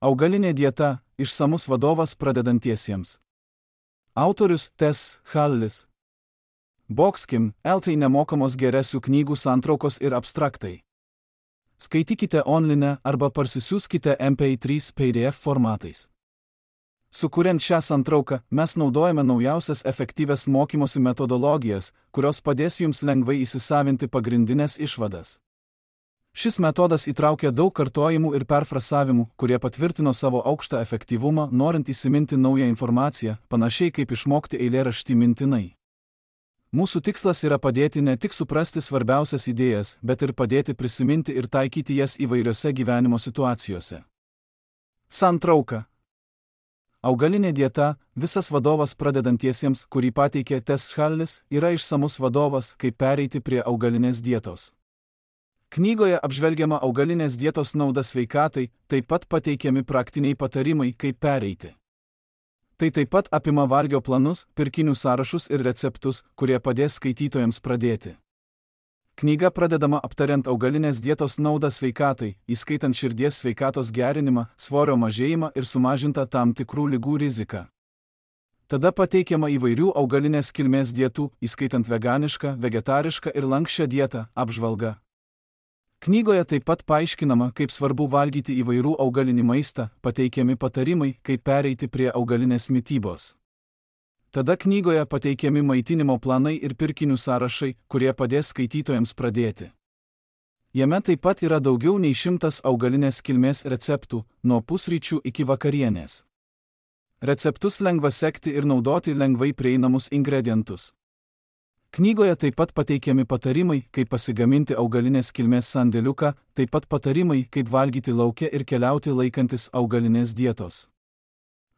Augalinė dieta – išsamus vadovas pradedantiesiems. Autorius Tess Hallis. Boxkim, LT nemokamos geresių knygų santraukos ir abstraktai. Skaitykite online arba parsisiųskite MP3 PDF formatais. Sukuriant šią santrauką, mes naudojame naujausias efektyvias mokymosi metodologijas, kurios padės jums lengvai įsisavinti pagrindinės išvadas. Šis metodas įtraukia daug kartojimų ir perfrasavimų, kurie patvirtino savo aukštą efektyvumą, norint įsiminti naują informaciją, panašiai kaip išmokti eilėraštį mintinai. Mūsų tikslas yra padėti ne tik suprasti svarbiausias idėjas, bet ir padėti prisiminti ir taikyti jas įvairiose gyvenimo situacijose. Santrauka. Augalinė dieta – visas vadovas pradedantiesiems, kurį pateikė Tess Hallis, yra išsamus vadovas, kaip pereiti prie augalinės dietos. Knygoje apžvelgiama augalinės dietos nauda sveikatai, taip pat pateikiami praktiniai patarimai, kaip pereiti. Tai taip pat apima valgio planus, pirkinių sąrašus ir receptus, kurie padės skaitytojams pradėti. Knyga pradedama aptariant augalinės dietos naudą sveikatai, įskaitant širdies sveikatos gerinimą, svorio mažėjimą ir sumažintą tam tikrų ligų riziką. Tada pateikiama įvairių augalinės kilmės dietų, įskaitant veganišką, vegetarišką ir lanksčią dietą, apžvalga. Knygoje taip pat paaiškinama, kaip svarbu valgyti įvairių augalinį maistą, pateikiami patarimai, kaip pereiti prie augalinės mitybos. Tada knygoje pateikiami maitinimo planai ir pirkinių sąrašai, kurie padės skaitytojams pradėti. Jame taip pat yra daugiau nei 100 augalinės kilmės receptų, nuo pusryčių iki vakarienės. Receptus lengva sekti ir naudoti lengvai prieinamus ingredientus. Knygoje taip pat pateikiami patarimai, kaip pasigaminti augalinės kilmės sandėliuką, taip pat patarimai, kaip valgyti lauke ir keliauti laikantis augalinės dietos.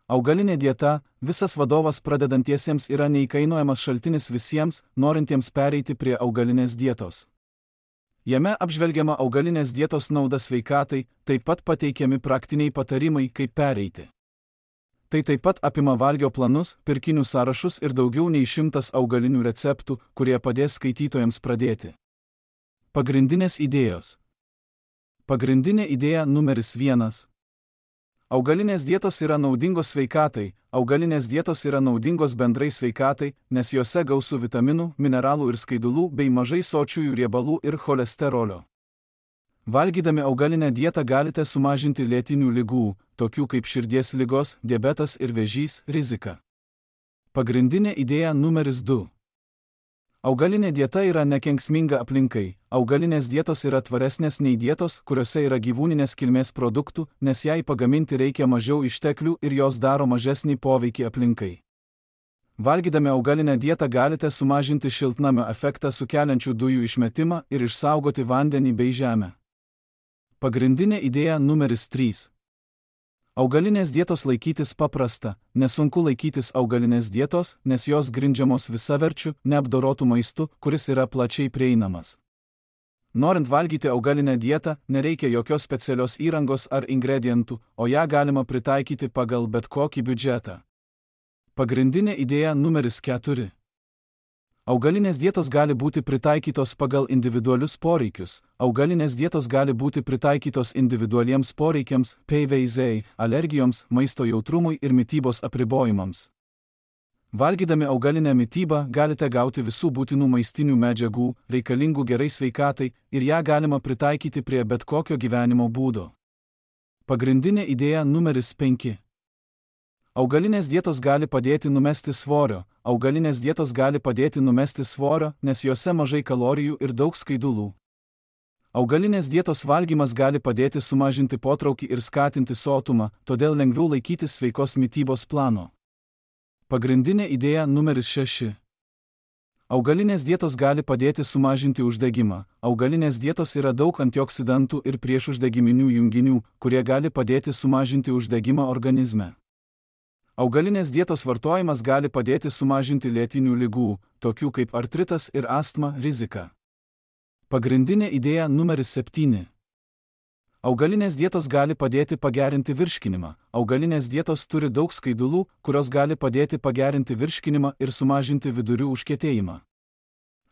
Augalinė dieta – visas vadovas pradedantiesiems yra neįkainojamas šaltinis visiems, norintiems pereiti prie augalinės dietos. Jame apžvelgiama augalinės dietos nauda sveikatai, taip pat pateikiami praktiniai patarimai, kaip pereiti. Tai taip pat apima valgio planus, pirkinių sąrašus ir daugiau nei 100 augalinių receptų, kurie padės skaitytojams pradėti. Pagrindinės idėjos. Pagrindinė idėja numeris 1. Augalinės dietos yra naudingos sveikatai. Augalinės dietos yra naudingos bendrai sveikatai, nes jose gausu vitaminų, mineralų ir skaidulų bei mažai sočiųjų riebalų ir cholesterolio. Valgydami augalinę dietą galite sumažinti lėtinių ligų, tokių kaip širdies ligos, diabetas ir vėžys, riziką. Pagrindinė idėja numeris 2. Augalinė dieta yra nekenksminga aplinkai. Augalinės dietos yra tvaresnės nei dietos, kuriuose yra gyvūninės kilmės produktų, nes jai pagaminti reikia mažiau išteklių ir jos daro mažesnį poveikį aplinkai. Valgydami augalinę dietą galite sumažinti šiltnamio efektą sukeliančių dujų išmetimą ir išsaugoti vandenį bei žemę. Pagrindinė idėja numeris 3. Augalinės dietos laikytis paprasta. Nesunku laikytis augalinės dietos, nes jos grindžiamos visaverčiu, neapdorotu maistu, kuris yra plačiai prieinamas. Norint valgyti augalinę dietą, nereikia jokios specialios įrangos ar ingredientų, o ją galima pritaikyti pagal bet kokį biudžetą. Pagrindinė idėja numeris 4. Augalinės dietos gali būti pritaikytos pagal individualius poreikius. Augalinės dietos gali būti pritaikytos individualiems poreikiams, PVZ, alergijoms, maisto jautrumui ir mitybos apribojimams. Valgydami augalinę mitybą galite gauti visų būtinų maistinių medžiagų, reikalingų gerai sveikatai, ir ją galima pritaikyti prie bet kokio gyvenimo būdo. Pagrindinė idėja numeris 5. Augalinės dietos gali padėti numesti svorio. Augalinės dietos gali padėti numesti svorio, nes jose mažai kalorijų ir daug skaidulų. Augalinės dietos valgymas gali padėti sumažinti potraukį ir skatinti sotumą, todėl lengviau laikytis sveikos mitybos plano. Pagrindinė idėja numeris 6. Augalinės dietos gali padėti sumažinti uždegimą. Augalinės dietos yra daug antioksidantų ir priešuždegiminių junginių, kurie gali padėti sumažinti uždegimą organizme. Augalinės dietos vartojimas gali padėti sumažinti lėtinių ligų, tokių kaip artritas ir astma, riziką. Pagrindinė idėja numeris 7. Augalinės dietos gali padėti pagerinti virškinimą. Augalinės dietos turi daug skaidulų, kurios gali padėti pagerinti virškinimą ir sumažinti vidurių užkietėjimą.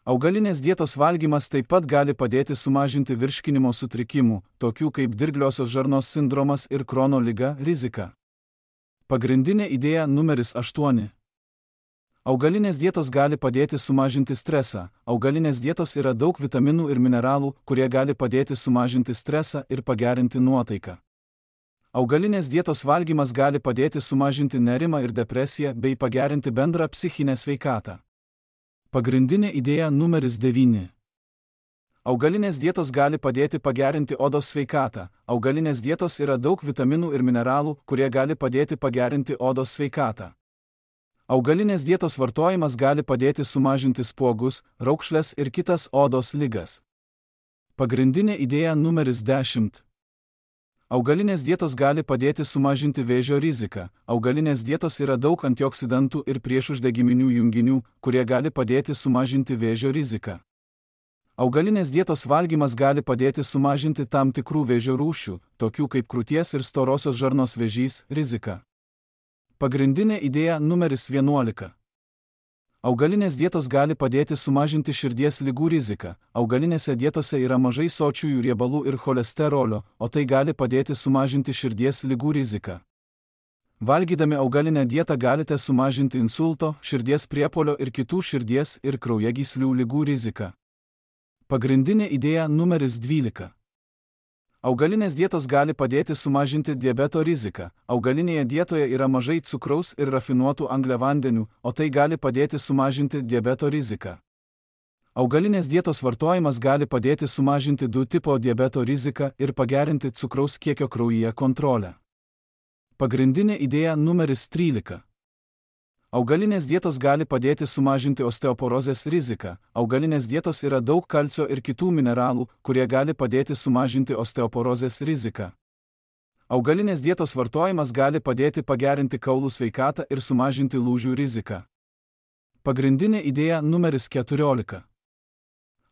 Augalinės dietos valgymas taip pat gali padėti sumažinti virškinimo sutrikimų, tokių kaip dirgliosios žarnos sindromas ir Krono liga, riziką. Pagrindinė idėja numeris 8. Augalinės dietos gali padėti sumažinti stresą. Augalinės dietos yra daug vitaminų ir mineralų, kurie gali padėti sumažinti stresą ir pagerinti nuotaiką. Augalinės dietos valgymas gali padėti sumažinti nerimą ir depresiją bei pagerinti bendrą psichinę sveikatą. Pagrindinė idėja numeris 9. Augalinės dietos gali padėti pagerinti odos sveikatą. Augalinės dietos yra daug vitaminų ir mineralų, kurie gali padėti pagerinti odos sveikatą. Augalinės dietos vartojimas gali padėti sumažinti spuogus, raukšles ir kitas odos ligas. Pagrindinė idėja numeris 10. Augalinės dietos gali padėti sumažinti vėžio riziką. Augalinės dietos yra daug antioksidantų ir priešuždegiminių junginių, kurie gali padėti sumažinti vėžio riziką. Augalinės dietos valgymas gali padėti sumažinti tam tikrų vėžio rūšių, tokių kaip krūties ir storosios žarnos vėžys, riziką. Pagrindinė idėja numeris 11. Augalinės dietos gali padėti sumažinti širdies ligų riziką. Augalinėse dietose yra mažai sočiųjų riebalų ir cholesterolio, o tai gali padėti sumažinti širdies ligų riziką. Valgydami augalinę dietą galite sumažinti insulto, širdies priepuolio ir kitų širdies ir kraujagyslių ligų riziką. Pagrindinė idėja numeris 12. Augalinės dietos gali padėti sumažinti diabeto riziką. Augalinėje dietoje yra mažai cukraus ir rafinuotų angliavandenių, o tai gali padėti sumažinti diabeto riziką. Augalinės dietos vartojimas gali padėti sumažinti 2 tipo diabeto riziką ir pagerinti cukraus kiekio kraujyje kontrolę. Pagrindinė idėja numeris 13. Augalinės dietos gali padėti sumažinti osteoporozės riziką. Augalinės dietos yra daug kalcio ir kitų mineralų, kurie gali padėti sumažinti osteoporozės riziką. Augalinės dietos vartojimas gali padėti pagerinti kaulų sveikatą ir sumažinti lūžių riziką. Pagrindinė idėja numeris 14.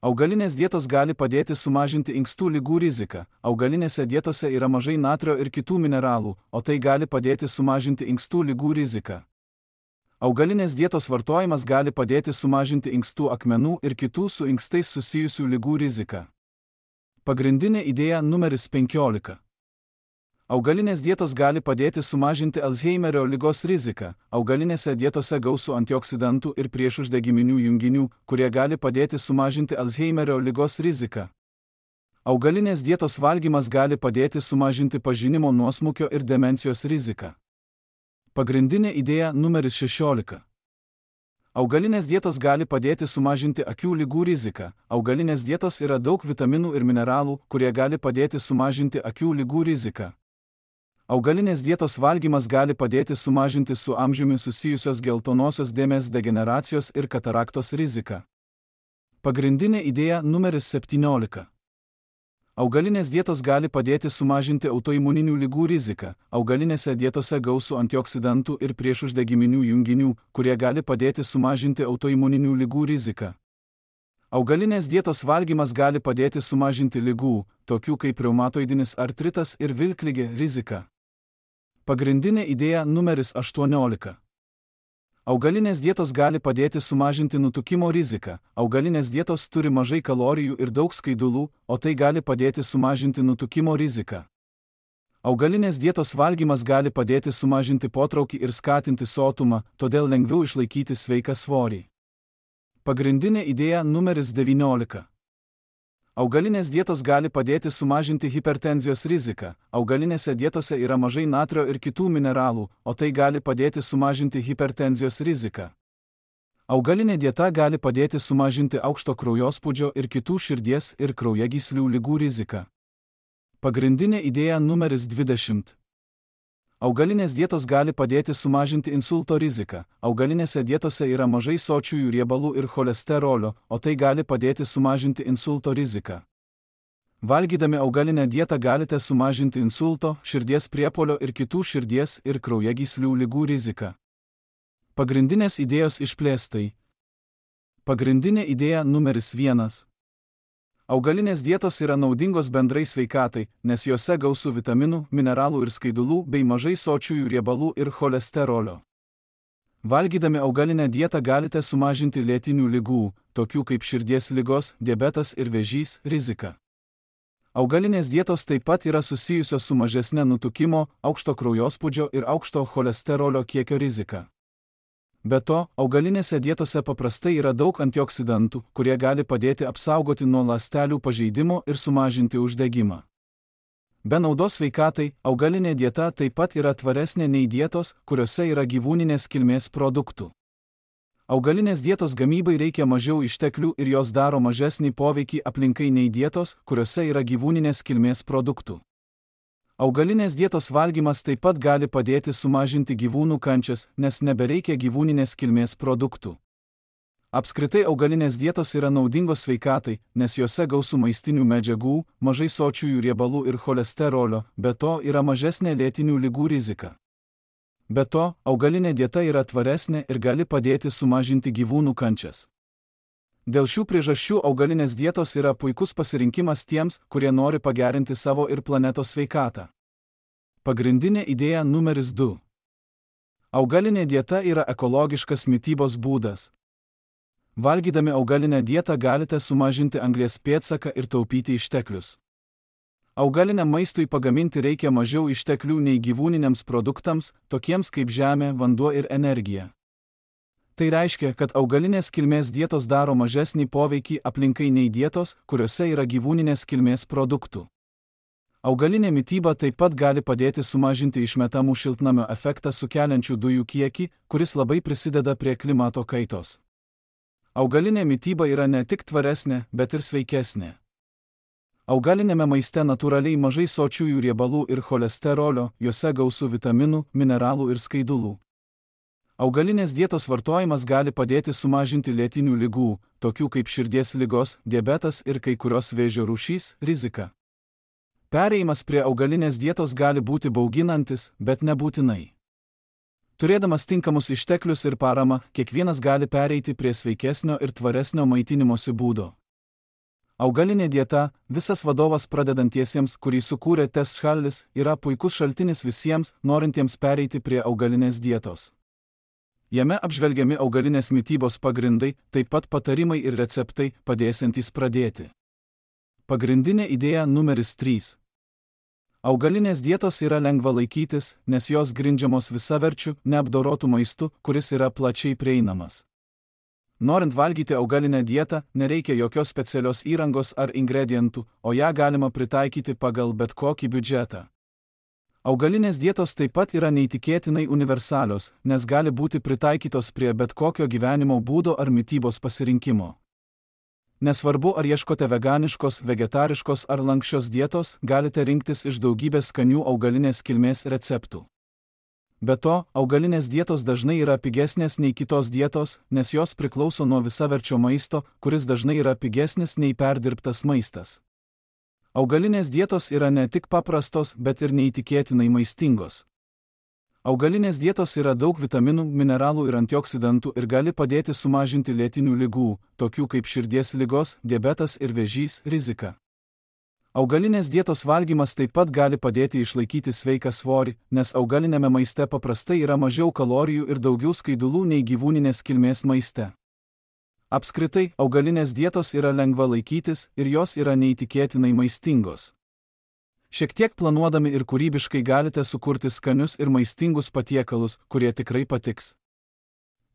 Augalinės dietos gali padėti sumažinti inkstų ligų riziką. Augalinėse dietose yra mažai natrio ir kitų mineralų, o tai gali padėti sumažinti inkstų ligų riziką. Augalinės dietos vartojimas gali padėti sumažinti inkstų akmenų ir kitų su inkstais susijusių ligų riziką. Pagrindinė idėja numeris 15. Augalinės dietos gali padėti sumažinti Alzheimerio ligos riziką. Augalinėse dietose gausu antioksidantų ir priešuždegiminių junginių, kurie gali padėti sumažinti Alzheimerio ligos riziką. Augalinės dietos valgymas gali padėti sumažinti pažinimo nuosmukio ir demencijos riziką. Pagrindinė idėja numeris 16. Augalinės dietos gali padėti sumažinti akių ligų riziką. Augalinės dietos yra daug vitaminų ir mineralų, kurie gali padėti sumažinti akių ligų riziką. Augalinės dietos valgymas gali padėti sumažinti su amžiumi susijusios geltonosios dėmės degeneracijos ir kataraktos riziką. Pagrindinė idėja numeris 17. Augalinės dietos gali padėti sumažinti autoimuninių ligų riziką. Augalinėse dietose gausu antioksidantų ir priešuždegiminių junginių, kurie gali padėti sumažinti autoimuninių ligų riziką. Augalinės dietos valgymas gali padėti sumažinti ligų, tokių kaip reumatoidinis artritas ir vilkligė, riziką. Pagrindinė idėja numeris 18. Augalinės dietos gali padėti sumažinti nutukimo riziką. Augalinės dietos turi mažai kalorijų ir daug skaidulų, o tai gali padėti sumažinti nutukimo riziką. Augalinės dietos valgymas gali padėti sumažinti potraukį ir skatinti sotumą, todėl lengviau išlaikyti sveiką svorį. Pagrindinė idėja numeris 19. Augalinės dietos gali padėti sumažinti hipertenzijos riziką. Augalinėse dietose yra mažai natrio ir kitų mineralų, o tai gali padėti sumažinti hipertenzijos riziką. Augalinė dieta gali padėti sumažinti aukšto kraujospūdžio ir kitų širdies ir kraujagyslių ligų riziką. Pagrindinė idėja numeris 20. Augalinės dietos gali padėti sumažinti insulto riziką. Augalinėse dietose yra mažai sočiųjų riebalų ir cholesterolio, o tai gali padėti sumažinti insulto riziką. Valgydami augalinę dietą galite sumažinti insulto, širdies priepuolio ir kitų širdies ir kraujagyslių ligų riziką. Pagrindinės idėjos išplėstai. Pagrindinė idėja numeris 1. Augalinės dietos yra naudingos bendrai sveikatai, nes jose gausu vitaminų, mineralų ir skaidulų bei mažai sočiųjų riebalų ir cholesterolio. Valgydami augalinę dietą galite sumažinti lėtinių ligų, tokių kaip širdies ligos, diabetas ir vėžys, rizika. Augalinės dietos taip pat yra susijusios su mažesne nutukimo, aukšto kraujospūdžio ir aukšto cholesterolio kiekio rizika. Be to, augalinėse dietose paprastai yra daug antioksidantų, kurie gali padėti apsaugoti nuo ląstelių pažeidimo ir sumažinti uždegimą. Be naudos sveikatai, augalinė dieta taip pat yra tvaresnė nei dietos, kuriuose yra gyvūninės kilmės produktų. Augalinės dietos gamybai reikia mažiau išteklių ir jos daro mažesnį poveikį aplinkai nei dietos, kuriuose yra gyvūninės kilmės produktų. Augalinės dietos valgymas taip pat gali padėti sumažinti gyvūnų kančias, nes nebereikia gyvūninės kilmės produktų. Apskritai augalinės dietos yra naudingos sveikatai, nes jose gausu maistinių medžiagų, mažai sočiųjų riebalų ir cholesterolio, be to yra mažesnė lėtinių ligų rizika. Be to, augalinė dieta yra tvaresnė ir gali padėti sumažinti gyvūnų kančias. Dėl šių priežasčių augalinės dietos yra puikus pasirinkimas tiems, kurie nori pagerinti savo ir planetos sveikatą. Pagrindinė idėja numeris 2. Augalinė dieta yra ekologiškas mitybos būdas. Valgydami augalinę dietą galite sumažinti anglies pėdsaką ir taupyti išteklius. Augaliniam maistui pagaminti reikia mažiau išteklių nei gyvūniniams produktams, tokiems kaip žemė, vanduo ir energija. Tai reiškia, kad augalinės kilmės dietos daro mažesnį poveikį aplinkai nei dietos, kuriuose yra gyvūninės kilmės produktų. Augalinė mityba taip pat gali padėti sumažinti išmetamų šiltnamio efektą sukeliančių dujų kiekį, kuris labai prisideda prie klimato kaitos. Augalinė mityba yra ne tik tvaresnė, bet ir sveikesnė. Augalinėme maiste natūraliai mažai sočiųjų riebalų ir cholesterolio, juose gausu vitaminų, mineralų ir skaidulų. Augalinės dietos vartojimas gali padėti sumažinti lėtinių ligų, tokių kaip širdies ligos, diabetas ir kai kurios vėžio rūšys, riziką. Perėjimas prie augalinės dietos gali būti bauginantis, bet nebūtinai. Turėdamas tinkamus išteklius ir paramą, kiekvienas gali pereiti prie sveikesnio ir tvaresnio maitinimosi būdo. Augalinė dieta, visas vadovas pradedantiesiems, kurį sukūrė Tess Hallis, yra puikus šaltinis visiems, norintiems pereiti prie augalinės dietos. Jame apžvelgiami augalinės mitybos pagrindai, taip pat patarimai ir receptai, padėsiantys pradėti. Pagrindinė idėja numeris 3. Augalinės dietos yra lengva laikytis, nes jos grindžiamos visaverčiu, neapdorotų maistu, kuris yra plačiai prieinamas. Norint valgyti augalinę dietą, nereikia jokios specialios įrangos ar ingredientų, o ją galima pritaikyti pagal bet kokį biudžetą. Augalinės dietos taip pat yra neįtikėtinai universalios, nes gali būti pritaikytos prie bet kokio gyvenimo būdo ar mitybos pasirinkimo. Nesvarbu, ar ieškote veganiškos, vegetariškos ar lanksčios dietos, galite rinktis iš daugybės skanių augalinės kilmės receptų. Be to, augalinės dietos dažnai yra pigesnės nei kitos dietos, nes jos priklauso nuo visaverčio maisto, kuris dažnai yra pigesnis nei perdirbtas maistas. Augalinės dietos yra ne tik paprastos, bet ir neįtikėtinai maistingos. Augalinės dietos yra daug vitaminų, mineralų ir antioksidantų ir gali padėti sumažinti lėtinių ligų, tokių kaip širdies ligos, diabetas ir vėžys, riziką. Augalinės dietos valgymas taip pat gali padėti išlaikyti sveiką svorį, nes augalinėme maiste paprastai yra mažiau kalorijų ir daugiau skaidulų nei gyvūninės kilmės maiste. Apskritai, augalinės dietos yra lengva laikytis ir jos yra neįtikėtinai maistingos. Šiek tiek planuodami ir kūrybiškai galite sukurti skanius ir maistingus patiekalus, kurie tikrai patiks.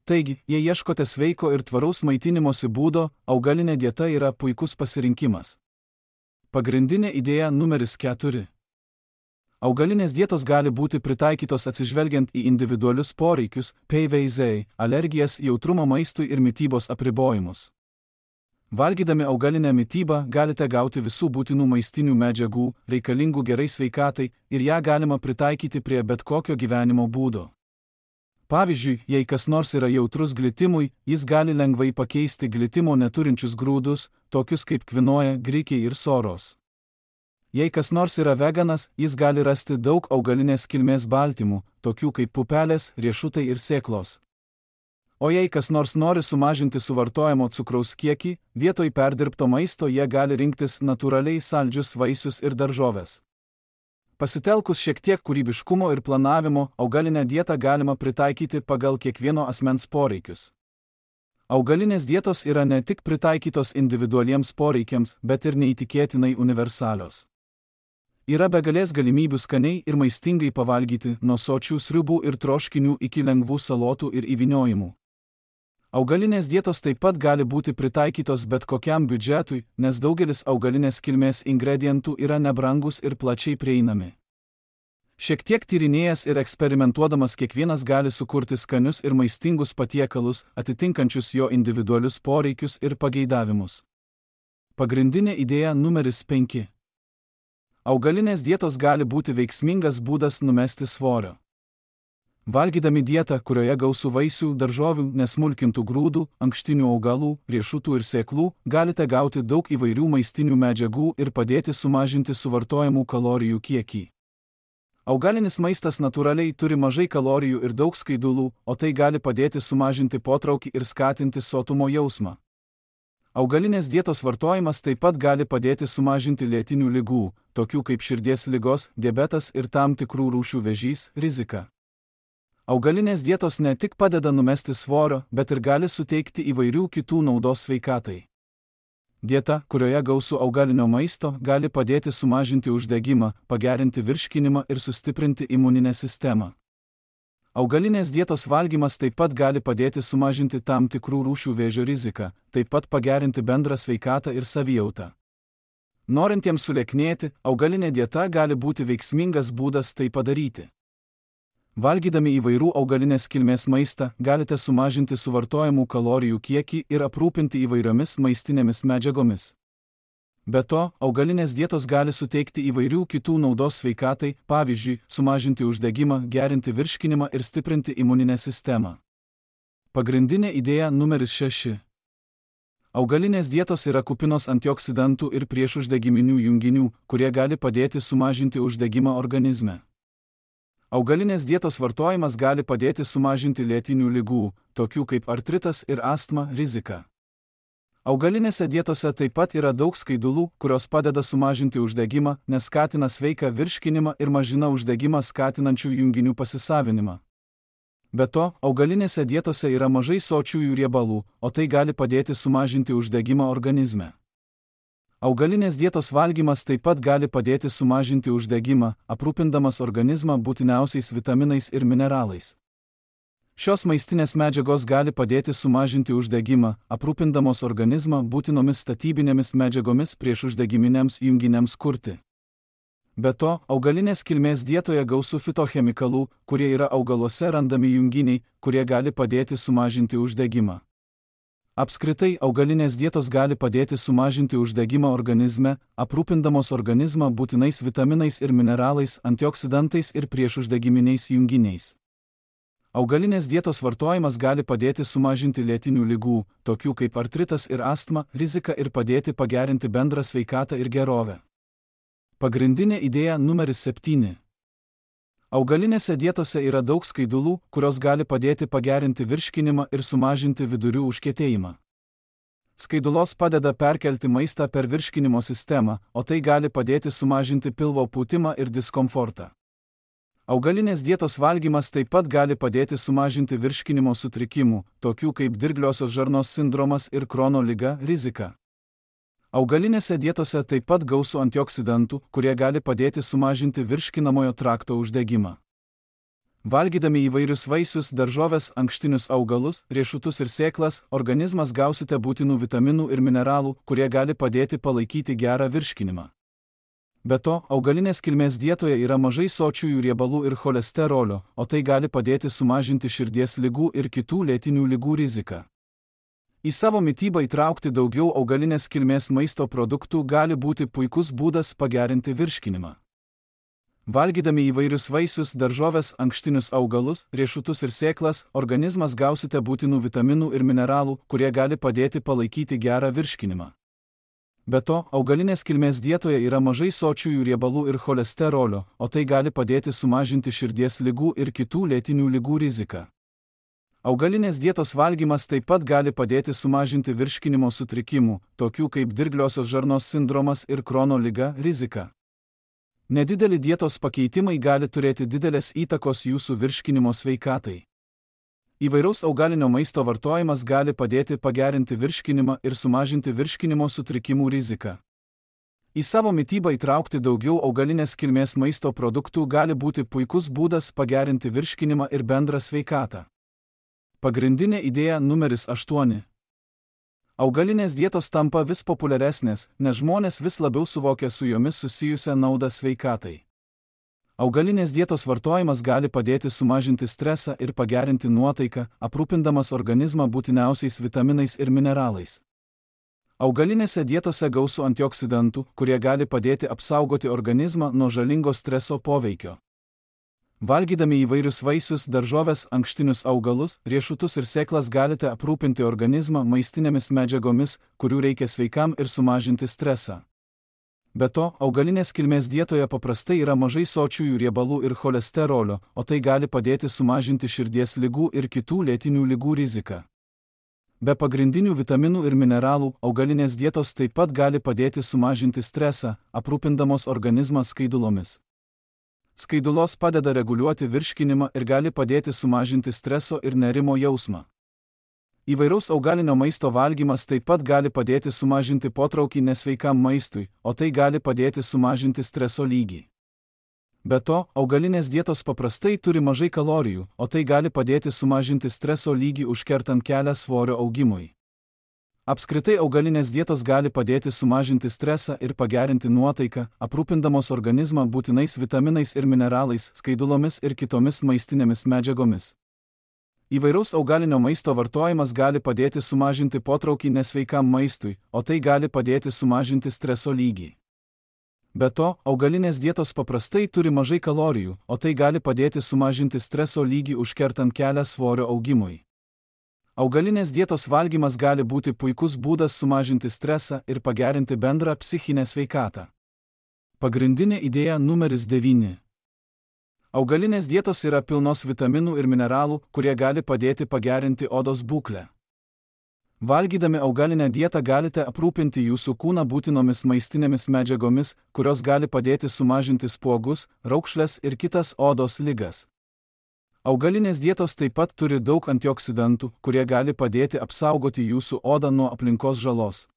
Taigi, jei ieškote sveiko ir tvaraus maitinimosi būdo, augalinė dieta yra puikus pasirinkimas. Pagrindinė idėja numeris 4. Augalinės dietos gali būti pritaikytos atsižvelgiant į individualius poreikius, PVZ, alergijas, jautrumą maistui ir mitybos apribojimus. Valgydami augalinę mitybą galite gauti visų būtinų maistinių medžiagų, reikalingų gerai sveikatai, ir ją galima pritaikyti prie bet kokio gyvenimo būdo. Pavyzdžiui, jei kas nors yra jautrus glitimui, jis gali lengvai pakeisti glitimo neturinčius grūdus, tokius kaip kvinoja, grikiai ir soros. Jei kas nors yra veganas, jis gali rasti daug augalinės kilmės baltymų, tokių kaip pupelės, riešutai ir sėklos. O jei kas nors nori sumažinti suvartojamo cukraus kiekį, vietoj perdirbto maisto jie gali rinktis natūraliai saldžius vaisius ir daržoves. Pasitelkus šiek tiek kūrybiškumo ir planavimo, augalinę dietą galima pritaikyti pagal kiekvieno asmens poreikius. Augalinės dietos yra ne tik pritaikytos individualiems poreikiams, bet ir neįtikėtinai universalios. Yra begalės galimybių skaniai ir maistingai pavalgyti, nuo sočių sriubų ir troškinių iki lengvų salotų ir įvyniojimų. Augalinės dietos taip pat gali būti pritaikytos bet kokiam biudžetui, nes daugelis augalinės kilmės ingredientų yra nebrangus ir plačiai prieinami. Šiek tiek tyrinėjęs ir eksperimentuodamas kiekvienas gali sukurti skanius ir maistingus patiekalus, atitinkančius jo individualius poreikius ir pageidavimus. Pagrindinė idėja numeris 5. Augalinės dietos gali būti veiksmingas būdas numesti svorio. Valgydami dietą, kurioje gausu vaisių, daržovių, nesmulkintų grūdų, ankštinių augalų, riešutų ir sėklų, galite gauti daug įvairių maistinių medžiagų ir padėti sumažinti suvartojamų kalorijų kiekį. Augalinis maistas natūraliai turi mažai kalorijų ir daug skaidulų, o tai gali padėti sumažinti potraukį ir skatinti sotumo jausmą. Augalinės dietos vartojimas taip pat gali padėti sumažinti lėtinių ligų, tokių kaip širdies ligos, diabetas ir tam tikrų rūšių vėžys, riziką. Augalinės dietos ne tik padeda numesti svorio, bet ir gali suteikti įvairių kitų naudos sveikatai. Dieta, kurioje gausu augalinio maisto, gali padėti sumažinti uždegimą, pagerinti virškinimą ir sustiprinti imuninę sistemą. Augalinės dietos valgymas taip pat gali padėti sumažinti tam tikrų rūšių vėžio riziką, taip pat pagerinti bendrą sveikatą ir savijautą. Norintiems sulieknėti, augalinė dieta gali būti veiksmingas būdas tai padaryti. Valgydami įvairių augalinės kilmės maistą, galite sumažinti suvartojamų kalorijų kiekį ir aprūpinti įvairiomis maistinėmis medžiagomis. Be to, augalinės dietos gali suteikti įvairių kitų naudos sveikatai, pavyzdžiui, sumažinti uždegimą, gerinti virškinimą ir stiprinti imuninę sistemą. Pagrindinė idėja numeris 6. Augalinės dietos yra kupinos antioksidantų ir priešuždegiminių junginių, kurie gali padėti sumažinti uždegimą organizme. Augalinės dietos vartojimas gali padėti sumažinti lėtinių ligų, tokių kaip artritas ir astma, riziką. Augalinėse dietose taip pat yra daug skaidulų, kurios padeda sumažinti uždegimą, nes skatina sveiką virškinimą ir mažina uždegimą skatinančių junginių pasisavinimą. Be to, augalinėse dietose yra mažai sočiųjų riebalų, o tai gali padėti sumažinti uždegimą organizme. Augalinės dietos valgymas taip pat gali padėti sumažinti uždegimą, aprūpindamas organizmą būtiniausiais vitaminais ir mineralais. Šios maistinės medžiagos gali padėti sumažinti uždegimą, aprūpindamos organizmą būtinomis statybinėmis medžiagomis priešuždegiminiams junginiams kurti. Be to, augalinės kilmės dietoje gausu fitochemikalų, kurie yra augaluose randami junginiai, kurie gali padėti sumažinti uždegimą. Apskritai, augalinės dietos gali padėti sumažinti uždegimą organizme, aprūpindamos organizmą būtinais vitaminais ir mineralais, antioksidantais ir priešuždegiminiais junginiais. Augalinės dietos vartojimas gali padėti sumažinti lėtinių ligų, tokių kaip artritas ir astma, riziką ir padėti pagerinti bendrą sveikatą ir gerovę. Pagrindinė idėja numeris 7. Augalinėse dietose yra daug skaidulų, kurios gali padėti pagerinti virškinimą ir sumažinti vidurių užkietėjimą. Skaidulos padeda perkelti maistą per virškinimo sistemą, o tai gali padėti sumažinti pilvo pūtimą ir diskomfortą. Augalinės dietos valgymas taip pat gali padėti sumažinti virškinimo sutrikimų, tokių kaip dirgliosios žarnos sindromas ir Krono liga, riziką. Augalinėse dietose taip pat gausu antioksidantų, kurie gali padėti sumažinti virškinamojo trakto uždegimą. Valgydami įvairius vaisius, daržoves, ankštinius augalus, riešutus ir sėklas, organizmas gausite būtinų vitaminų ir mineralų, kurie gali padėti palaikyti gerą virškinimą. Be to, augalinės kilmės dietoje yra mažai sočiųjų riebalų ir cholesterolio, o tai gali padėti sumažinti širdies ligų ir kitų lėtinių ligų riziką. Į savo mitybą įtraukti daugiau augalinės kilmės maisto produktų gali būti puikus būdas pagerinti virškinimą. Valgydami įvairius vaisius, daržoves, ankštinius augalus, riešutus ir sėklas, organizmas gausite būtinų vitaminų ir mineralų, kurie gali padėti palaikyti gerą virškinimą. Be to, augalinės kilmės dietoje yra mažai sočiųjų riebalų ir cholesterolio, o tai gali padėti sumažinti širdies ligų ir kitų lėtinių ligų riziką. Augalinės dietos valgymas taip pat gali padėti sumažinti virškinimo sutrikimų, tokių kaip dirgliosios žarnos sindromas ir Krono liga, riziką. Nedideli dietos pakeitimai gali turėti didelės įtakos jūsų virškinimo sveikatai. Įvairaus augalinio maisto vartojimas gali padėti pagerinti virškinimą ir sumažinti virškinimo sutrikimų riziką. Į savo mitybą įtraukti daugiau augalinės kilmės maisto produktų gali būti puikus būdas pagerinti virškinimą ir bendrą sveikatą. Pagrindinė idėja numeris 8. Augalinės dietos tampa vis populiaresnės, nes žmonės vis labiau suvokia su jomis susijusią naudą sveikatai. Augalinės dietos vartojimas gali padėti sumažinti stresą ir pagerinti nuotaiką, aprūpindamas organizmą būtiniausiais vitaminais ir mineralais. Augalinėse dietose gausu antioksidantų, kurie gali padėti apsaugoti organizmą nuo žalingo streso poveikio. Valgydami įvairius vaisius, daržoves, ankštinius augalus, riešutus ir sėklas galite aprūpinti organizmą maistinėmis medžiagomis, kurių reikia sveikam ir sumažinti stresą. Be to, augalinės kilmės dietoje paprastai yra mažai sočiųjų riebalų ir cholesterolio, o tai gali padėti sumažinti širdies ligų ir kitų lėtinių ligų riziką. Be pagrindinių vitaminų ir mineralų, augalinės dietos taip pat gali padėti sumažinti stresą, aprūpindamos organizmą skaidulomis. Skaidulos padeda reguliuoti virškinimą ir gali padėti sumažinti streso ir nerimo jausmą. Įvairaus augalinio maisto valgymas taip pat gali padėti sumažinti potraukį nesveikam maistui, o tai gali padėti sumažinti streso lygį. Be to, augalinės dietos paprastai turi mažai kalorijų, o tai gali padėti sumažinti streso lygį užkertant kelią svorio augimui. Apskritai augalinės dietos gali padėti sumažinti stresą ir pagerinti nuotaiką, aprūpindamos organizmą būtinais vitaminais ir mineralais, skaidulomis ir kitomis maistinėmis medžiagomis. Įvairaus augalinio maisto vartojimas gali padėti sumažinti potraukį nesveikam maistui, o tai gali padėti sumažinti streso lygį. Be to, augalinės dietos paprastai turi mažai kalorijų, o tai gali padėti sumažinti streso lygį užkertant kelią svorio augimui. Augalinės dietos valgymas gali būti puikus būdas sumažinti stresą ir pagerinti bendrą psichinę sveikatą. Pagrindinė idėja numeris 9. Augalinės dietos yra pilnos vitaminų ir mineralų, kurie gali padėti pagerinti odos būklę. Valgydami augalinę dietą galite aprūpinti jūsų kūną būtinomis maistinėmis medžiagomis, kurios gali padėti sumažinti spuogus, raukšles ir kitas odos ligas. Augalinės dietos taip pat turi daug antioksidantų, kurie gali padėti apsaugoti jūsų odą nuo aplinkos žalos.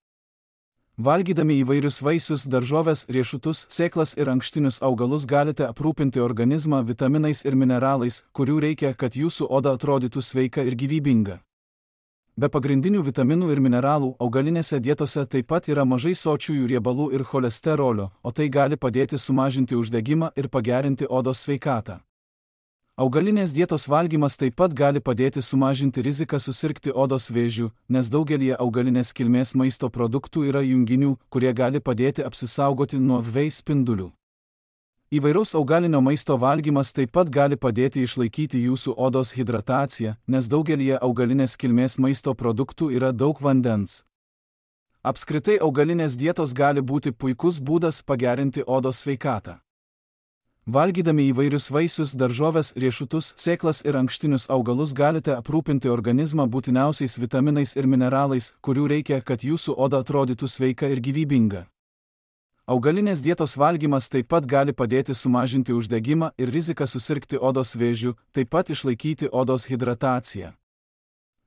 Valgydami įvairius vaisius, daržoves, riešutus, sėklas ir ankštinius augalus galite aprūpinti organizmą vitaminais ir mineralais, kurių reikia, kad jūsų oda atrodytų sveika ir gyvybinga. Be pagrindinių vitaminų ir mineralų, augalinėse dietose taip pat yra mažai sočiųjų riebalų ir cholesterolio, o tai gali padėti sumažinti uždegimą ir pagerinti odos sveikatą. Augalinės dietos valgymas taip pat gali padėti sumažinti riziką susirgti odos vėžiu, nes daugelį augalinės kilmės maisto produktų yra junginių, kurie gali padėti apsisaugoti nuo UV spindulių. Įvairaus augalinio maisto valgymas taip pat gali padėti išlaikyti jūsų odos hidrataciją, nes daugelį augalinės kilmės maisto produktų yra daug vandens. Apskritai augalinės dietos gali būti puikus būdas pagerinti odos sveikatą. Valgydami įvairius vaisius, daržoves, riešutus, sėklas ir ankštinius augalus galite aprūpinti organizmą būtiniausiais vitaminais ir mineralais, kurių reikia, kad jūsų oda atrodytų sveika ir gyvybinga. Augalinės dietos valgymas taip pat gali padėti sumažinti uždegimą ir riziką susirgti odos vėžiu, taip pat išlaikyti odos hidrataciją.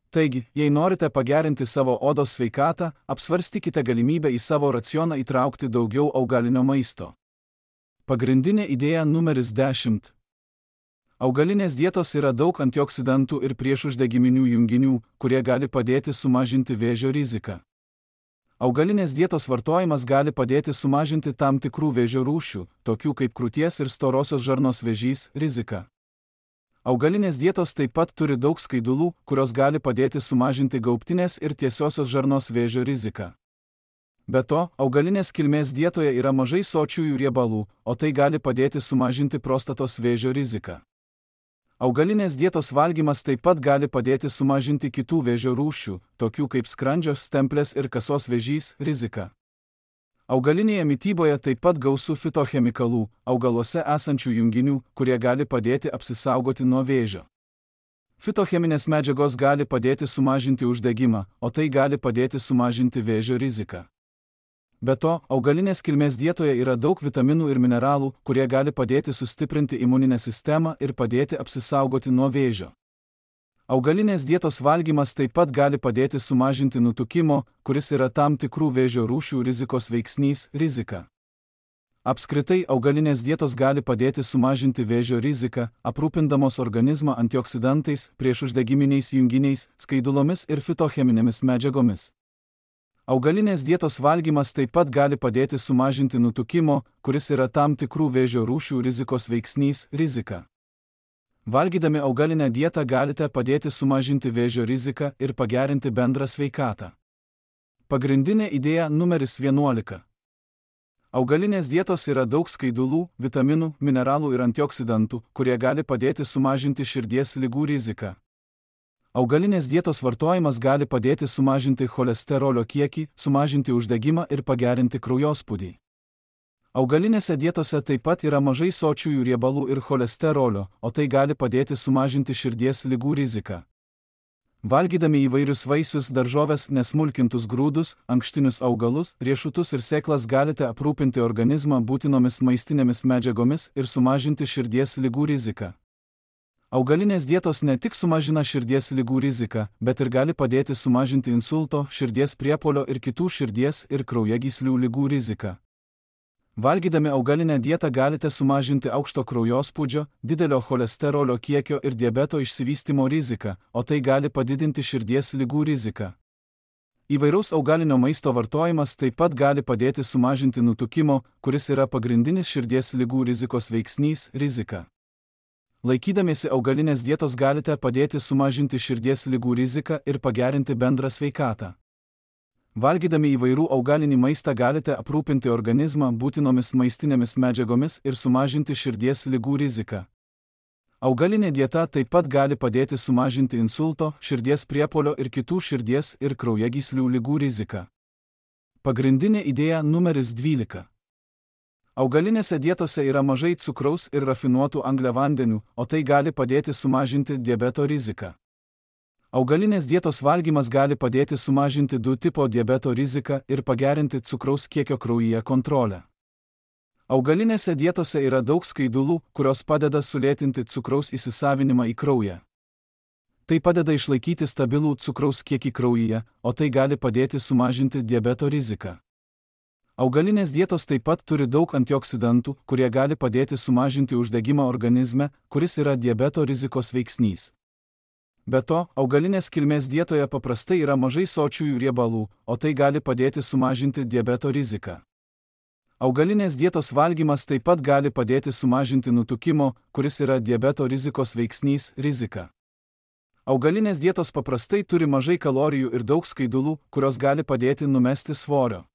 Taigi, jei norite pagerinti savo odos sveikatą, apsvarstykite galimybę į savo racioną įtraukti daugiau augalinio maisto. Pagrindinė idėja numeris 10. Augalinės dietos yra daug antioksidantų ir priešuždegiminių junginių, kurie gali padėti sumažinti vėžio riziką. Augalinės dietos vartojimas gali padėti sumažinti tam tikrų vėžio rūšių, tokių kaip krūties ir storosios žarnos vėžys, riziką. Augalinės dietos taip pat turi daug skaidulų, kurios gali padėti sumažinti gaubtinės ir tiesiosios žarnos vėžio riziką. Be to, augalinės kilmės dietoje yra mažai sočiųjų riebalų, o tai gali padėti sumažinti prostatos vėžio riziką. Augalinės dietos valgymas taip pat gali padėti sumažinti kitų vėžio rūšių, tokių kaip skrandžio, stemplės ir kasos vėžys, riziką. Augalinėje mityboje taip pat gausu fitochemikalų, augaluose esančių junginių, kurie gali padėti apsisaugoti nuo vėžio. Fitocheminės medžiagos gali padėti sumažinti uždegimą, o tai gali padėti sumažinti vėžio riziką. Be to, augalinės kilmės dietoje yra daug vitaminų ir mineralų, kurie gali padėti sustiprinti imuninę sistemą ir padėti apsisaugoti nuo vėžio. Augalinės dietos valgymas taip pat gali padėti sumažinti nutukimo, kuris yra tam tikrų vėžio rūšių rizikos veiksnys, rizika. Apskritai, augalinės dietos gali padėti sumažinti vėžio riziką, aprūpindamos organizmą antioksidantais, priešuždegiminiais junginiais, skaidulomis ir fitocheminėmis medžiagomis. Augalinės dietos valgymas taip pat gali padėti sumažinti nutukimo, kuris yra tam tikrų vėžio rūšių rizikos veiksnys, rizika. Valgydami augalinę dietą galite padėti sumažinti vėžio riziką ir pagerinti bendrą sveikatą. Pagrindinė idėja numeris 11. Augalinės dietos yra daug skaidulų, vitaminų, mineralų ir antioksidantų, kurie gali padėti sumažinti širdies ligų riziką. Augalinės dietos vartojimas gali padėti sumažinti cholesterolio kiekį, sumažinti uždegimą ir pagerinti kraujospūdį. Augalinėse dietose taip pat yra mažai sočiųjų riebalų ir cholesterolio, o tai gali padėti sumažinti širdies ligų riziką. Valgydami įvairius vaisius, daržoves, nesmulkintus grūdus, ankštinius augalus, riešutus ir sėklas galite aprūpinti organizmą būtinomis maistinėmis medžiagomis ir sumažinti širdies ligų riziką. Augalinės dietos ne tik sumažina širdies ligų riziką, bet ir gali padėti sumažinti insulto, širdies priepuolio ir kitų širdies ir kraujagyslių ligų riziką. Valgydami augalinę dietą galite sumažinti aukšto kraujospūdžio, didelio cholesterolio kiekio ir diabeto išsivystymo riziką, o tai gali padidinti širdies ligų riziką. Įvairaus augalinio maisto vartojimas taip pat gali padėti sumažinti nutukimo, kuris yra pagrindinis širdies ligų rizikos veiksnys, rizika. Laikydamiesi augalinės dietos galite padėti sumažinti širdies ligų riziką ir pagerinti bendrą sveikatą. Valgydami įvairių augalinį maistą galite aprūpinti organizmą būtinomis maistinėmis medžiagomis ir sumažinti širdies ligų riziką. Augalinė dieta taip pat gali padėti sumažinti insulto, širdies priepuolio ir kitų širdies ir kraujagyslių ligų riziką. Pagrindinė idėja numeris 12. Augalinėse dietose yra mažai cukraus ir rafinuotų angliavandenių, o tai gali padėti sumažinti diabeto riziką. Augalinės dietos valgymas gali padėti sumažinti 2 tipo diabeto riziką ir pagerinti cukraus kiekio kraujyje kontrolę. Augalinėse dietose yra daug skaidulų, kurios padeda sulėtinti cukraus įsisavinimą į kraują. Tai padeda išlaikyti stabilų cukraus kiekį kraujyje, o tai gali padėti sumažinti diabeto riziką. Augalinės dietos taip pat turi daug antioksidantų, kurie gali padėti sumažinti uždegimą organizme, kuris yra diabeto rizikos veiksnys. Be to, augalinės kilmės dietoje paprastai yra mažai sočiųjų riebalų, o tai gali padėti sumažinti diabeto riziką. Augalinės dietos valgymas taip pat gali padėti sumažinti nutukimo, kuris yra diabeto rizikos veiksnys, riziką. Augalinės dietos paprastai turi mažai kalorijų ir daug skaidulų, kurios gali padėti numesti svorio.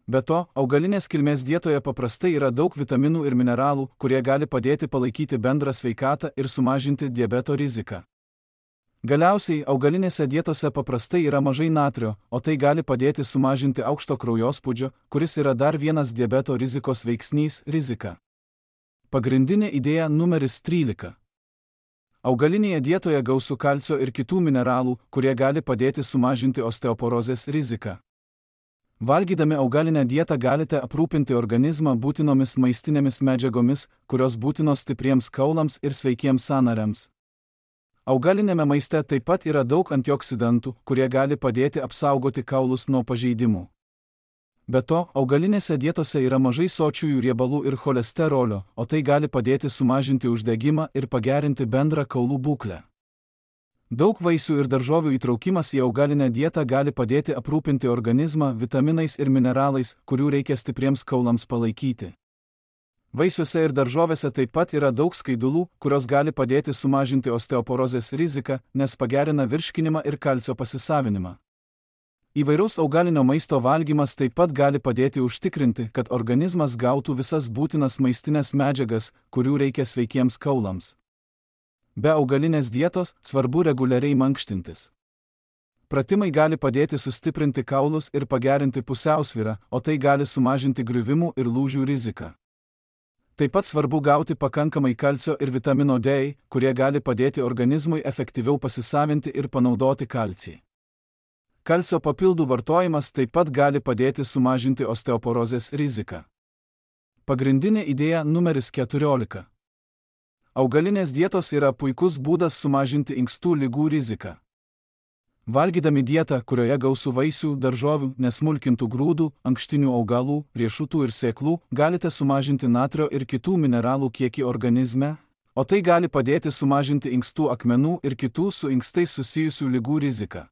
Be to, augalinės kilmės dietoje paprastai yra daug vitaminų ir mineralų, kurie gali padėti palaikyti bendrą sveikatą ir sumažinti diabeto riziką. Galiausiai, augalinėse dietose paprastai yra mažai natrio, o tai gali padėti sumažinti aukšto kraujospūdžio, kuris yra dar vienas diabeto rizikos veiksnys, rizika. Pagrindinė idėja numeris 13. Augalinėje dietoje gausu kalcio ir kitų mineralų, kurie gali padėti sumažinti osteoporozės riziką. Valgydami augalinę dietą galite aprūpinti organizmą būtinomis maistinėmis medžiagomis, kurios būtinos stipriems kaulams ir sveikiems sąnariams. Augalinėme maiste taip pat yra daug antioksidantų, kurie gali padėti apsaugoti kaulus nuo pažeidimų. Be to, augalinėse dietose yra mažai sočiųjų riebalų ir cholesterolio, o tai gali padėti sumažinti uždegimą ir pagerinti bendrą kaulų būklę. Daug vaisių ir daržovių įtraukimas į augalinę dietą gali padėti aprūpinti organizmą vitaminais ir mineralais, kurių reikia stipriems kaulams palaikyti. Vaisiuose ir daržovėse taip pat yra daug skaidulų, kurios gali padėti sumažinti osteoporozės riziką, nes pagerina virškinimą ir kalcio pasisavinimą. Įvairaus augalinio maisto valgymas taip pat gali padėti užtikrinti, kad organizmas gautų visas būtinas maistinės medžiagas, kurių reikia sveikiems kaulams. Be augalinės dietos svarbu reguliariai mankštintis. Pratimai gali padėti sustiprinti kaulus ir pagerinti pusiausvyrą, o tai gali sumažinti griuvimų ir lūžių riziką. Taip pat svarbu gauti pakankamai kalcio ir vitamino D, kurie gali padėti organizmui efektyviau pasisavinti ir panaudoti kalcį. Kalcio papildų vartojimas taip pat gali padėti sumažinti osteoporozės riziką. Pagrindinė idėja numeris 14. Augalinės dietos yra puikus būdas sumažinti inkstų ligų riziką. Valgydami dietą, kurioje gausu vaisių, daržovių, nesmulkintų grūdų, ankštinių augalų, riešutų ir sėklų, galite sumažinti natrio ir kitų mineralų kiekį organizme, o tai gali padėti sumažinti inkstų akmenų ir kitų su inkstais susijusių ligų riziką.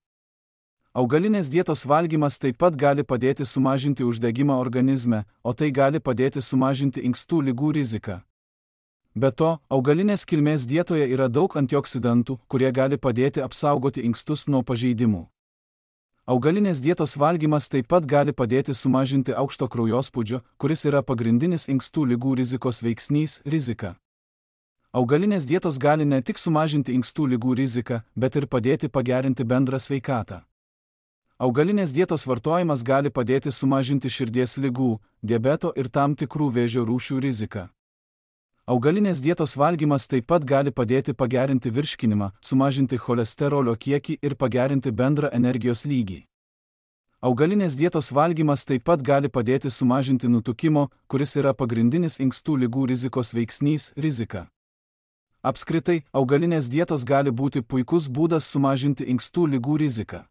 Augalinės dietos valgymas taip pat gali padėti sumažinti uždegimą organizme, o tai gali padėti sumažinti inkstų ligų riziką. Be to, augalinės kilmės dietoje yra daug antioksidantų, kurie gali padėti apsaugoti inkstus nuo pažeidimų. Augalinės dietos valgymas taip pat gali padėti sumažinti aukšto kraujospūdžio, kuris yra pagrindinis inkstų ligų rizikos veiksnys, riziką. Augalinės dietos gali ne tik sumažinti inkstų ligų riziką, bet ir padėti pagerinti bendrą sveikatą. Augalinės dietos vartojimas gali padėti sumažinti širdies ligų, diabeto ir tam tikrų vėžio rūšių riziką. Augalinės dietos valgymas taip pat gali padėti pagerinti virškinimą, sumažinti cholesterolio kiekį ir pagerinti bendrą energijos lygį. Augalinės dietos valgymas taip pat gali padėti sumažinti nutukimo, kuris yra pagrindinis inkstų ligų rizikos veiksnys, riziką. Apskritai, augalinės dietos gali būti puikus būdas sumažinti inkstų ligų riziką.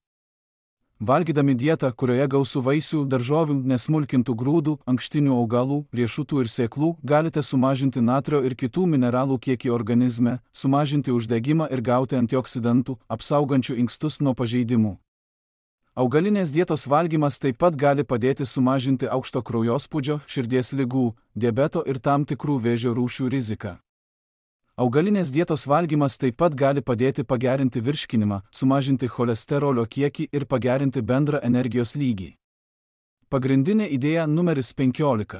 Valgydami dietą, kurioje gausu vaisių, daržovių, nesmulkintų grūdų, ankštinių augalų, riešutų ir sėklų, galite sumažinti natrio ir kitų mineralų kiekį organizme, sumažinti uždegimą ir gauti antioksidantų, apsaugančių inkstus nuo pažeidimų. Augalinės dietos valgymas taip pat gali padėti sumažinti aukšto kraujospūdžio, širdies ligų, diabeto ir tam tikrų vėžio rūšių riziką. Augalinės dietos valgymas taip pat gali padėti pagerinti virškinimą, sumažinti cholesterolio kiekį ir pagerinti bendrą energijos lygį. Pagrindinė idėja numeris 15.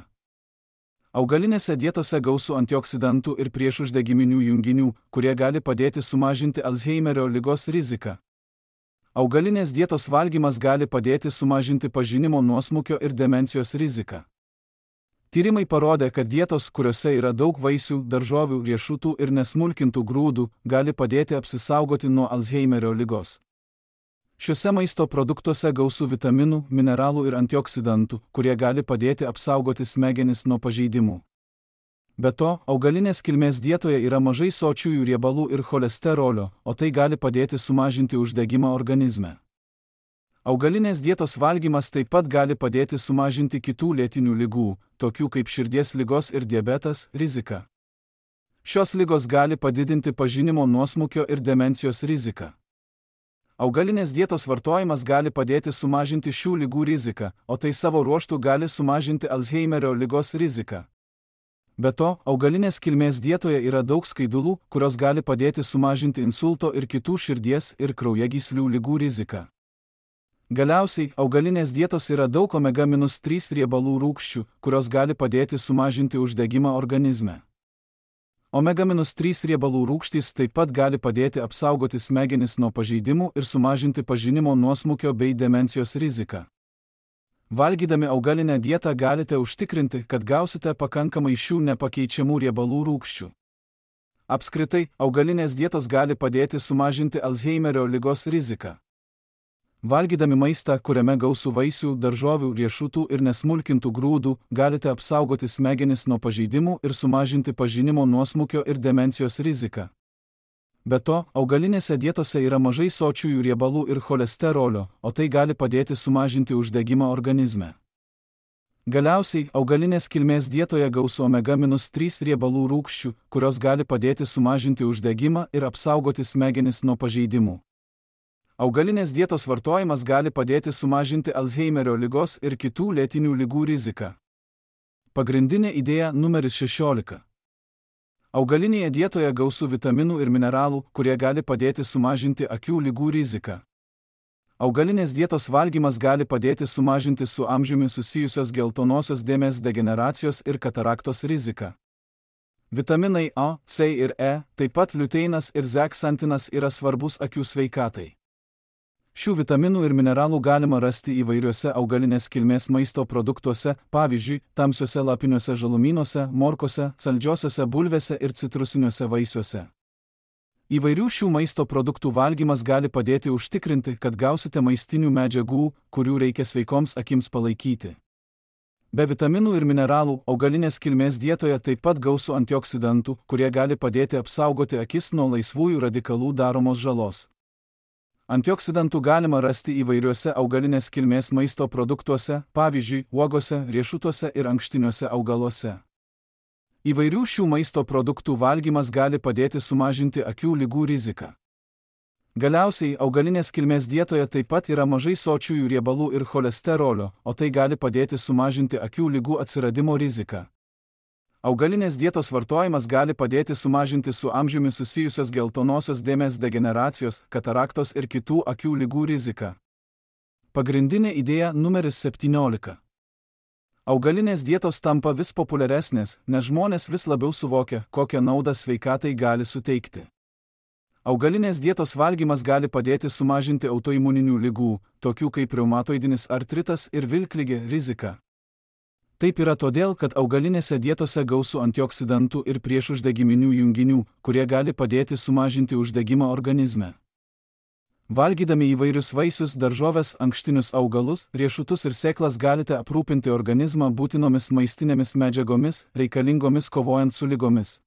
Augalinėse dietose gausu antioksidantų ir priešuždegiminių junginių, kurie gali padėti sumažinti Alzheimerio ligos riziką. Augalinės dietos valgymas gali padėti sumažinti pažinimo nuosmukio ir demencijos riziką. Tyrimai parodė, kad dietos, kuriuose yra daug vaisių, daržovių, riešutų ir nesmulkintų grūdų, gali padėti apsisaugoti nuo Alzheimerio ligos. Šiuose maisto produktuose gausu vitaminų, mineralų ir antioksidantų, kurie gali padėti apsaugoti smegenis nuo pažeidimų. Be to, augalinės kilmės dietoje yra mažai sočiųjų riebalų ir cholesterolio, o tai gali padėti sumažinti uždegimą organizme. Augalinės dietos valgymas taip pat gali padėti sumažinti kitų lėtinių ligų, tokių kaip širdies ligos ir diabetas, riziką. Šios ligos gali padidinti pažinimo nuosmukio ir demencijos riziką. Augalinės dietos vartojimas gali padėti sumažinti šių ligų riziką, o tai savo ruožtu gali sumažinti Alzheimerio ligos riziką. Be to, augalinės kilmės dietoje yra daug skaidulų, kurios gali padėti sumažinti insulto ir kitų širdies ir kraujagyslių ligų riziką. Galiausiai, augalinės dietos yra daug omega-3 riebalų rūgščių, kurios gali padėti sumažinti uždegimą organizme. Omega-3 riebalų rūgštys taip pat gali padėti apsaugoti smegenis nuo pažeidimų ir sumažinti pažinimo nuosmukio bei demencijos riziką. Valgydami augalinę dietą galite užtikrinti, kad gausite pakankamai šių nepakeičiamų riebalų rūgščių. Apskritai, augalinės dietos gali padėti sumažinti Alzheimerio ligos riziką. Valgydami maistą, kuriame gausu vaisių, daržovių, riešutų ir nesmulkintų grūdų, galite apsaugoti smegenis nuo pažeidimų ir sumažinti pažinimo nuosmukio ir demencijos riziką. Be to, augalinėse dietose yra mažai sočiųjų riebalų ir cholesterolio, o tai gali padėti sumažinti uždegimą organizme. Galiausiai, augalinės kilmės dietoje gausu omega-3 riebalų rūgščių, kurios gali padėti sumažinti uždegimą ir apsaugoti smegenis nuo pažeidimų. Augalinės dietos vartojimas gali padėti sumažinti Alzheimerio ligos ir kitų lėtinių ligų riziką. Pagrindinė idėja numeris 16. Augalinėje dietoje gausu vitaminų ir mineralų, kurie gali padėti sumažinti akių ligų riziką. Augalinės dietos valgymas gali padėti sumažinti su amžiumi susijusios geltonosios dėmės degeneracijos ir kataraktos riziką. Vitaminai A, C ir E, taip pat liuteinas ir zeksantinas yra svarbus akių sveikatai. Šių vitaminų ir mineralų galima rasti įvairiuose augalinės kilmės maisto produktuose, pavyzdžiui, tamsiuose lapiniuose žalumynuose, morkose, saldžiosiuose bulvėse ir citrusiniuose vaisiuose. Įvairių šių maisto produktų valgymas gali padėti užtikrinti, kad gausite maistinių medžiagų, kurių reikia sveikoms akims palaikyti. Be vitaminų ir mineralų, augalinės kilmės dietoje taip pat gausu antioksidantų, kurie gali padėti apsaugoti akis nuo laisvųjų radikalų daromos žalos. Antioksidantų galima rasti įvairiuose augalinės kilmės maisto produktuose, pavyzdžiui, uogose, riešutuose ir ankštiniuose augaluose. Įvairių šių maisto produktų valgymas gali padėti sumažinti akių ligų riziką. Galiausiai, augalinės kilmės dietoje taip pat yra mažai sočiųjų riebalų ir cholesterolio, o tai gali padėti sumažinti akių ligų atsiradimo riziką. Augalinės dietos vartojimas gali padėti sumažinti su amžiumi susijusios geltonosios dėmės degeneracijos, kataraktos ir kitų akių ligų riziką. Pagrindinė idėja numeris 17. Augalinės dietos tampa vis populiaresnės, nes žmonės vis labiau suvokia, kokią naudą sveikatai gali suteikti. Augalinės dietos valgymas gali padėti sumažinti autoimuninių ligų, tokių kaip reumatoidinis artritas ir vilkligė riziką. Taip yra todėl, kad augalinėse dietose gausu antioksidantų ir priešuždegiminių junginių, kurie gali padėti sumažinti uždegimą organizme. Valgydami įvairius vaisius, daržoves, ankštinius augalus, riešutus ir sėklas galite aprūpinti organizmą būtinomis maistinėmis medžiagomis, reikalingomis kovojant su ligomis.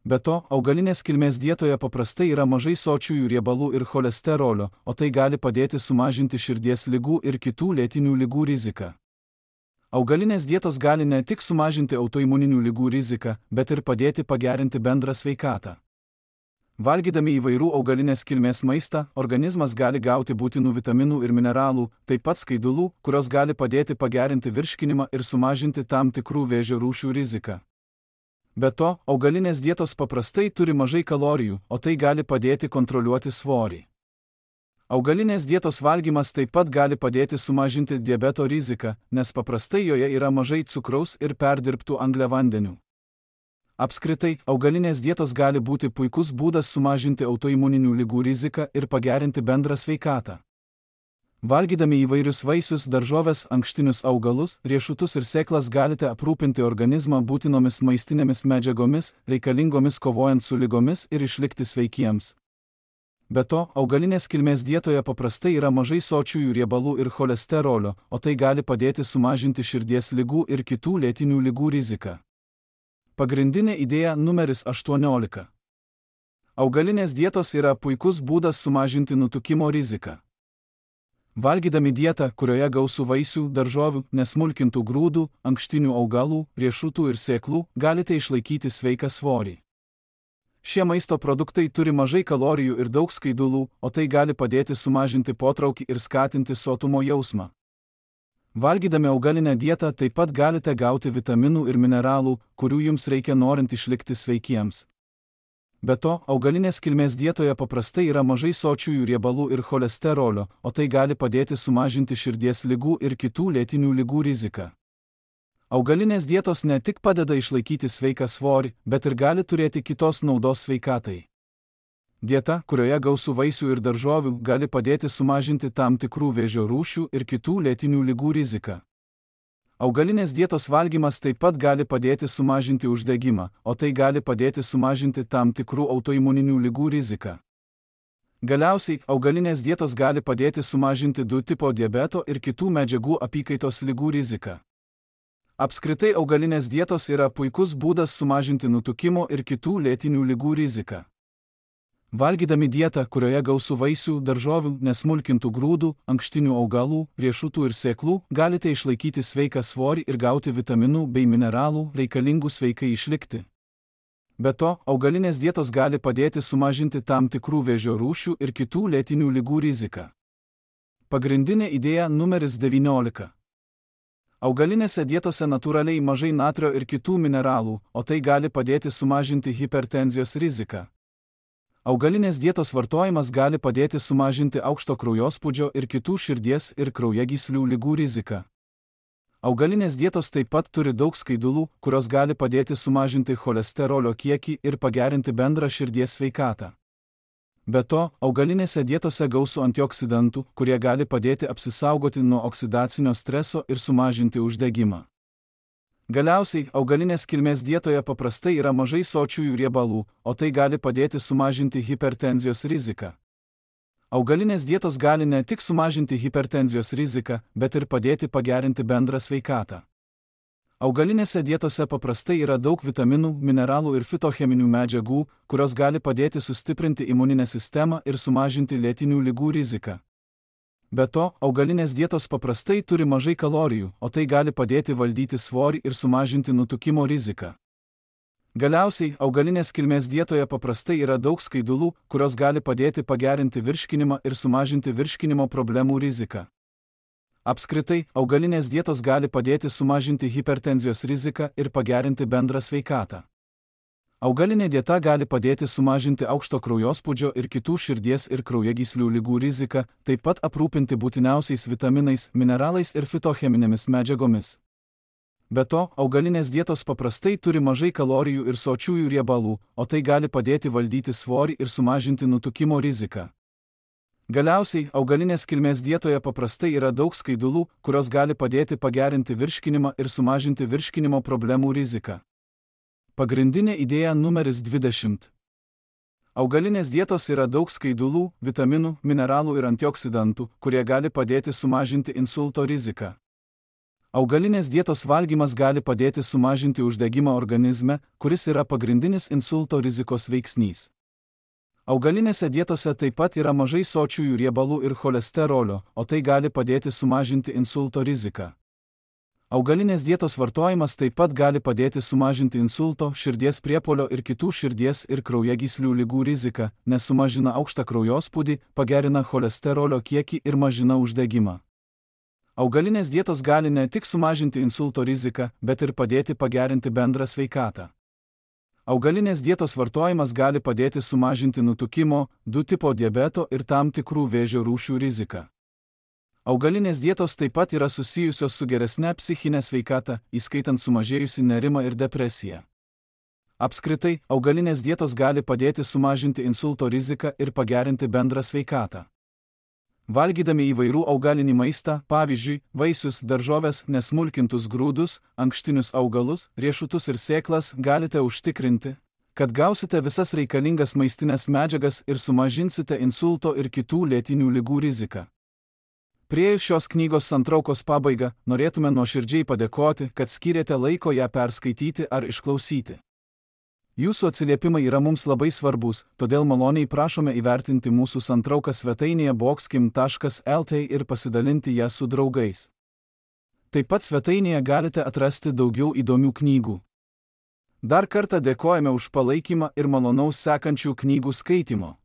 Be to, augalinės kilmės dietoje paprastai yra mažai sočiųjų riebalų ir cholesterolio, o tai gali padėti sumažinti širdies ligų ir kitų lėtinių ligų riziką. Augalinės dietos gali ne tik sumažinti autoimuninių ligų riziką, bet ir padėti pagerinti bendrą sveikatą. Valgydami įvairių augalinės kilmės maistą, organizmas gali gauti būtinų vitaminų ir mineralų, taip pat skaidulų, kurios gali padėti pagerinti virškinimą ir sumažinti tam tikrų vėžio rūšių riziką. Be to, augalinės dietos paprastai turi mažai kalorijų, o tai gali padėti kontroliuoti svorį. Augalinės dietos valgymas taip pat gali padėti sumažinti diabeto riziką, nes paprastai joje yra mažai cukraus ir perdirbtų angliavandenių. Apskritai, augalinės dietos gali būti puikus būdas sumažinti autoimuninių ligų riziką ir pagerinti bendrą sveikatą. Valgydami įvairius vaisius, daržoves, ankštinius augalus, riešutus ir sėklas galite aprūpinti organizmą būtinomis maistinėmis medžiagomis, reikalingomis kovojant su ligomis ir išlikti sveikiems. Be to, augalinės kilmės dietoje paprastai yra mažai sočiųjų riebalų ir cholesterolio, o tai gali padėti sumažinti širdies ligų ir kitų lėtinių ligų riziką. Pagrindinė idėja numeris 18. Augalinės dietos yra puikus būdas sumažinti nutukimo riziką. Valgydami dietą, kurioje gausu vaisių, daržovių, nesmulkintų grūdų, ankštinių augalų, riešutų ir sėklų, galite išlaikyti sveiką svorį. Šie maisto produktai turi mažai kalorijų ir daug skaidulų, o tai gali padėti sumažinti potraukį ir skatinti sotumo jausmą. Valgydami augalinę dietą taip pat galite gauti vitaminų ir mineralų, kurių jums reikia norint išlikti sveikiems. Be to, augalinės kilmės dietoje paprastai yra mažai sočiųjų riebalų ir cholesterolio, o tai gali padėti sumažinti širdies ligų ir kitų lėtinių ligų riziką. Augalinės dietos ne tik padeda išlaikyti sveiką svorį, bet ir gali turėti kitos naudos sveikatai. Dieta, kurioje gausu vaisių ir daržovių, gali padėti sumažinti tam tikrų vėžio rūšių ir kitų lėtinių ligų riziką. Augalinės dietos valgymas taip pat gali padėti sumažinti uždegimą, o tai gali padėti sumažinti tam tikrų autoimuninių ligų riziką. Galiausiai, augalinės dietos gali padėti sumažinti 2 tipo diabeto ir kitų medžiagų apykaitos ligų riziką. Apskritai, augalinės dietos yra puikus būdas sumažinti nutukimo ir kitų lėtinių ligų riziką. Valgydami dietą, kurioje gausu vaisių, daržovių, nesmulkintų grūdų, ankštinių augalų, riešutų ir sėklų, galite išlaikyti sveiką svorį ir gauti vitaminų bei mineralų, reikalingų sveikai išlikti. Be to, augalinės dietos gali padėti sumažinti tam tikrų vėžio rūšių ir kitų lėtinių ligų riziką. Pagrindinė idėja numeris 19. Augalinėse dietose natūraliai mažai natrio ir kitų mineralų, o tai gali padėti sumažinti hipertenzijos riziką. Augalinės dietos vartojimas gali padėti sumažinti aukšto kraujospūdžio ir kitų širdies ir kraujagyslių ligų riziką. Augalinės dietos taip pat turi daug skaidulų, kurios gali padėti sumažinti cholesterolio kiekį ir pagerinti bendrą širdies sveikatą. Be to, augalinėse dietose gausu antioksidantų, kurie gali padėti apsisaugoti nuo oksidacinio streso ir sumažinti uždegimą. Galiausiai, augalinės kilmės dietoje paprastai yra mažai sočiųjų riebalų, o tai gali padėti sumažinti hipertenzijos riziką. Augalinės dietos gali ne tik sumažinti hipertenzijos riziką, bet ir padėti pagerinti bendrą sveikatą. Augalinėse dietose paprastai yra daug vitaminų, mineralų ir fitocheminių medžiagų, kurios gali padėti sustiprinti imuninę sistemą ir sumažinti lėtinių ligų riziką. Be to, augalinės dietos paprastai turi mažai kalorijų, o tai gali padėti valdyti svorį ir sumažinti nutukimo riziką. Galiausiai, augalinės kilmės dietoje paprastai yra daug skaidulų, kurios gali padėti pagerinti virškinimą ir sumažinti virškinimo problemų riziką. Apskritai, augalinės dietos gali padėti sumažinti hipertenzijos riziką ir pagerinti bendrą sveikatą. Augalinė dieta gali padėti sumažinti aukšto kraujospūdžio ir kitų širdies ir kraujagyslių ligų riziką, taip pat aprūpinti būtiniausiais vitaminais, mineralais ir fitocheminėmis medžiagomis. Be to, augalinės dietos paprastai turi mažai kalorijų ir sočiųjų riebalų, o tai gali padėti valdyti svorį ir sumažinti nutukimo riziką. Galiausiai, augalinės kilmės dietoje paprastai yra daug skaidulų, kurios gali padėti pagerinti virškinimą ir sumažinti virškinimo problemų riziką. Pagrindinė idėja numeris 20. Augalinės dietos yra daug skaidulų, vitaminų, mineralų ir antioksidantų, kurie gali padėti sumažinti insulto riziką. Augalinės dietos valgymas gali padėti sumažinti uždegimą organizme, kuris yra pagrindinis insulto rizikos veiksnys. Augalinėse dietose taip pat yra mažai sočiųjų riebalų ir cholesterolio, o tai gali padėti sumažinti insulto riziką. Augalinės dietos vartojimas taip pat gali padėti sumažinti insulto, širdies priepuolio ir kitų širdies ir kraujagyslių ligų riziką, nes sumažina aukštą kraujospūdį, pagerina cholesterolio kiekį ir mažina uždegimą. Augalinės dietos gali ne tik sumažinti insulto riziką, bet ir padėti pagerinti bendrą sveikatą. Augalinės dietos vartojimas gali padėti sumažinti nutukimo, 2 tipo diabeto ir tam tikrų vėžio rūšių riziką. Augalinės dietos taip pat yra susijusios su geresne psichinė sveikata, įskaitant sumažėjusi nerimą ir depresiją. Apskritai, augalinės dietos gali padėti sumažinti insulto riziką ir pagerinti bendrą sveikatą. Valgydami įvairių augalinį maistą, pavyzdžiui, vaisius, daržoves, nesmulkintus grūdus, ankštinius augalus, riešutus ir sėklas, galite užtikrinti, kad gausite visas reikalingas maistinės medžiagas ir sumažinsite insulto ir kitų lėtinių ligų riziką. Priėjus šios knygos santraukos pabaigą, norėtume nuoširdžiai padėkoti, kad skyrėte laiko ją perskaityti ar išklausyti. Jūsų atsiliepimai yra mums labai svarbus, todėl maloniai prašome įvertinti mūsų santrauką svetainėje boxkim.lt ir pasidalinti ją su draugais. Taip pat svetainėje galite atrasti daugiau įdomių knygų. Dar kartą dėkojame už palaikymą ir malonaus sekančių knygų skaitimo.